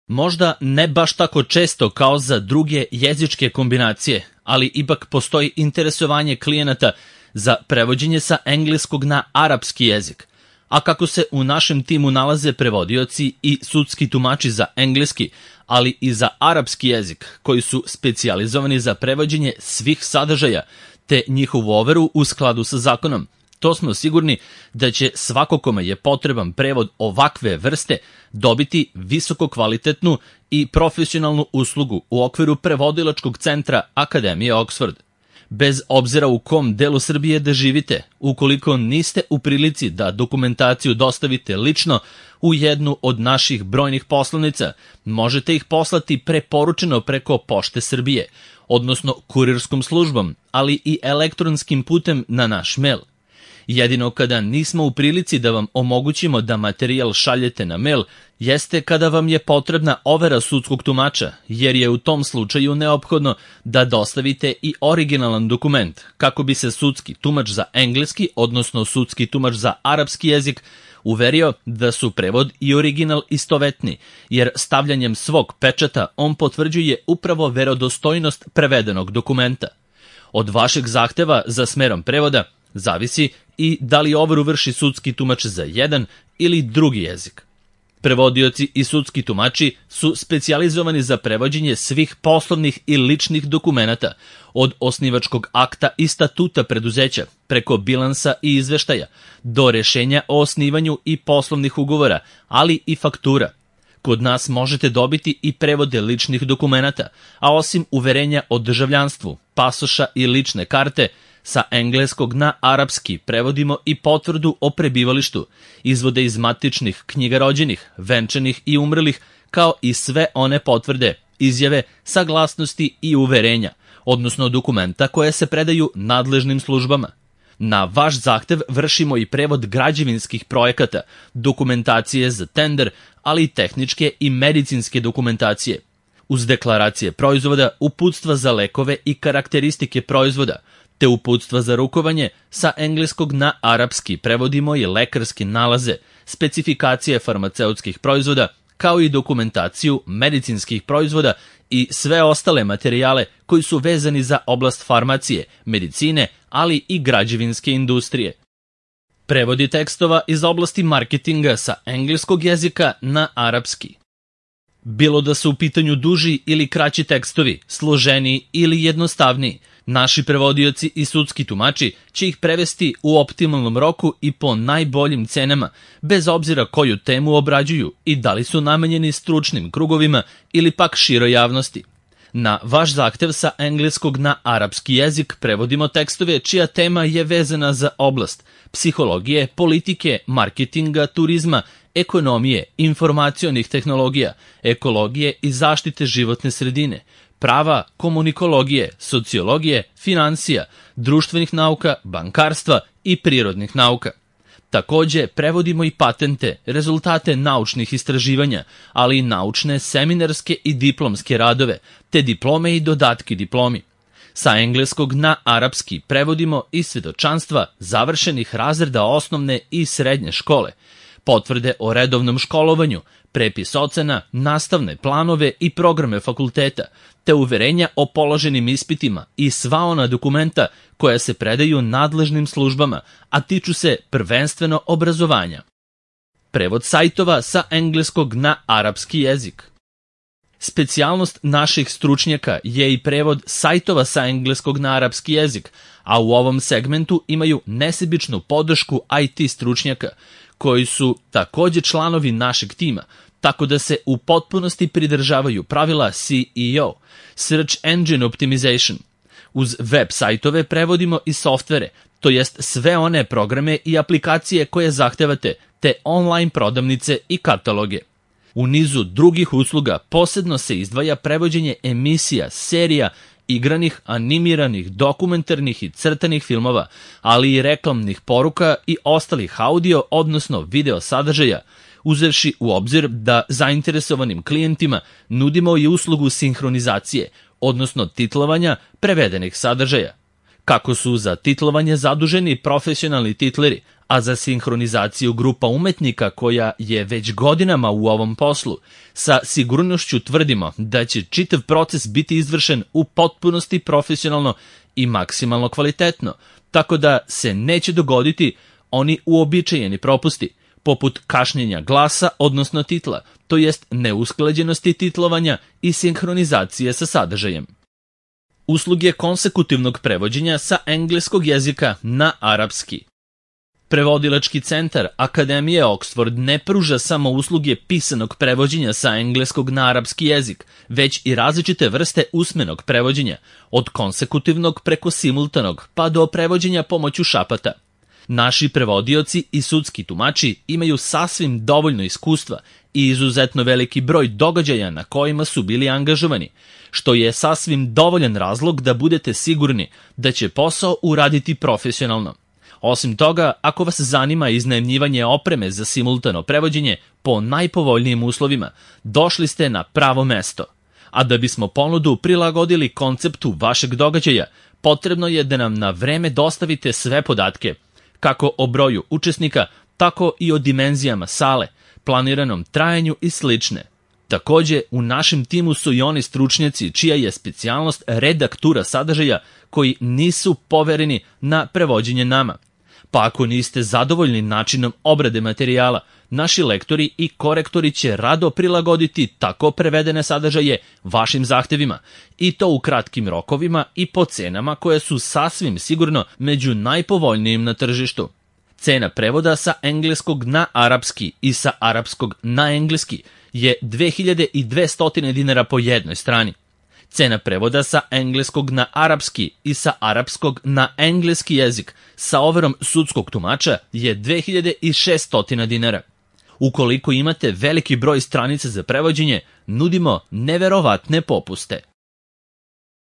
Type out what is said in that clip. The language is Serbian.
Možda ne baš tako često kao za druge jezičke kombinacije, ali ipak postoji interesovanje klijenata za prevođenje sa engleskog na arapski jezik. A kako se u našem timu nalaze prevodioci i sudski tumači za engleski, ali i za arapski jezik, koji su specijalizovani za prevođenje svih sadržaja, te njihovu overu u skladu sa zakonom, to smo sigurni da će svako kome je potreban prevod ovakve vrste dobiti visoko kvalitetnu i profesionalnu uslugu u okviru prevodilačkog centra Akademije Oxford. Bez obzira u kom delu Srbije da živite, ukoliko niste u prilici da dokumentaciju dostavite lično u jednu od naših brojnih poslovnica, možete ih poslati preporučeno preko Pošte Srbije, odnosno kurirskom službom, ali i elektronskim putem na naš mail. Jedino kada nismo u prilici da vam omogućimo da materijal šaljete na mail, jeste kada vam je potrebna overa sudskog tumača, jer je u tom slučaju neophodno da dostavite i originalan dokument, kako bi se sudski tumač za engleski, odnosno sudski tumač za arapski jezik, uverio da su prevod i original istovetni, jer stavljanjem svog pečata on potvrđuje upravo verodostojnost prevedenog dokumenta. Od vašeg zahteva za smerom prevoda zavisi i da li overu vrši sudski tumač za jedan ili drugi jezik. Prevodioci i sudski tumači su specijalizovani za prevođenje svih poslovnih i ličnih dokumenata, od osnivačkog akta i statuta preduzeća, preko bilansa i izveštaja, do rešenja o osnivanju i poslovnih ugovora, ali i faktura. Kod nas možete dobiti i prevode ličnih dokumenata, a osim uverenja o državljanstvu, pasoša i lične karte, sa engleskog na arapski prevodimo i potvrdu o prebivalištu, izvode iz matičnih knjiga rođenih, venčanih i umrlih, kao i sve one potvrde, izjave, saglasnosti i uverenja, odnosno dokumenta koje se predaju nadležnim službama. Na vaš zahtev vršimo i prevod građevinskih projekata, dokumentacije za tender, ali i tehničke i medicinske dokumentacije. Uz deklaracije proizvoda, uputstva za lekove i karakteristike proizvoda, te uputstva za rukovanje, sa engleskog na arapski prevodimo i lekarske nalaze, specifikacije farmaceutskih proizvoda, kao i dokumentaciju medicinskih proizvoda i sve ostale materijale koji su vezani za oblast farmacije, medicine, ali i građevinske industrije. Prevodi tekstova iz oblasti marketinga sa engleskog jezika na arapski. Bilo da su u pitanju duži ili kraći tekstovi, složeniji ili jednostavniji, naši prevodioci i sudski tumači će ih prevesti u optimalnom roku i po najboljim cenama, bez obzira koju temu obrađuju i da li su namenjeni stručnim krugovima ili pak široj javnosti. Na vaš zahtev sa engleskog na arapski jezik prevodimo tekstove čija tema je vezana za oblast psihologije, politike, marketinga, turizma, ekonomije, informacionih tehnologija, ekologije i zaštite životne sredine, prava, komunikologije, sociologije, finansija, društvenih nauka, bankarstva i prirodnih nauka. Takođe, prevodimo i patente, rezultate naučnih istraživanja, ali i naučne, seminarske i diplomske radove, te diplome i dodatki diplomi. Sa engleskog na arapski prevodimo i svedočanstva završenih razreda osnovne i srednje škole, potvrde o redovnom školovanju, prepis ocena, nastavne planove i programe fakulteta, te uverenja o položenim ispitima i sva ona dokumenta koja se predaju nadležnim službama, a tiču se prvenstveno obrazovanja. Prevod sajtova sa engleskog na arapski jezik. Specijalnost naših stručnjaka je i prevod sajtova sa engleskog na arapski jezik, a u ovom segmentu imaju nesebičnu podršku IT stručnjaka, koji su takođe članovi našeg tima, tako da se u potpunosti pridržavaju pravila SEO, Search Engine Optimization. Uz web sajtove prevodimo i softvere, to jest sve one programe i aplikacije koje zahtevate, te online prodavnice i kataloge. U nizu drugih usluga posebno se izdvaja prevođenje emisija, serija, igranih, animiranih, dokumentarnih i crtanih filmova, ali i reklamnih poruka i ostalih audio, odnosno video sadržaja, uzevši u obzir da zainteresovanim klijentima nudimo i uslugu sinhronizacije, odnosno titlovanja prevedenih sadržaja. Kako su za titlovanje zaduženi profesionalni titleri, a za sinhronizaciju grupa umetnika koja je već godinama u ovom poslu, sa sigurnošću tvrdimo da će čitav proces biti izvršen u potpunosti profesionalno i maksimalno kvalitetno, tako da se neće dogoditi oni uobičajeni propusti, poput kašnjenja glasa, odnosno titla, to jest neusklađenosti titlovanja i sinhronizacije sa sadržajem. Usluge konsekutivnog prevođenja sa engleskog jezika na arapski. Prevodilački centar Akademije Oxford ne pruža samo usluge pisanog prevođenja sa engleskog na arapski jezik, već i različite vrste usmenog prevođenja, od konsekutivnog preko simultanog pa do prevođenja pomoću šapata. Naši prevodioci i sudski tumači imaju sasvim dovoljno iskustva i izuzetno veliki broj događaja na kojima su bili angažovani, što je sasvim dovoljan razlog da budete sigurni da će posao uraditi profesionalno. Osim toga, ako vas zanima iznajmljivanje opreme za simultano prevođenje po najpovoljnijim uslovima, došli ste na pravo mesto. A da bismo ponudu prilagodili konceptu vašeg događaja, potrebno je da nam na vreme dostavite sve podatke, kako o broju učesnika, tako i o dimenzijama sale, planiranom trajanju i slične. Takođe, u našem timu su i oni stručnjaci čija je specijalnost redaktura sadržaja koji nisu povereni na prevođenje nama. Pa ako niste zadovoljni načinom obrade materijala, naši lektori i korektori će rado prilagoditi tako prevedene sadržaje vašim zahtevima, i to u kratkim rokovima i po cenama koje su sasvim sigurno među najpovoljnijim na tržištu. Cena prevoda sa engleskog na arapski i sa arapskog na engleski je 2200 dinara po jednoj strani. Cena prevoda sa engleskog na arapski i sa arapskog na engleski jezik sa overom sudskog tumača je 2600 dinara. Ukoliko imate veliki broj stranica za prevođenje, nudimo neverovatne popuste.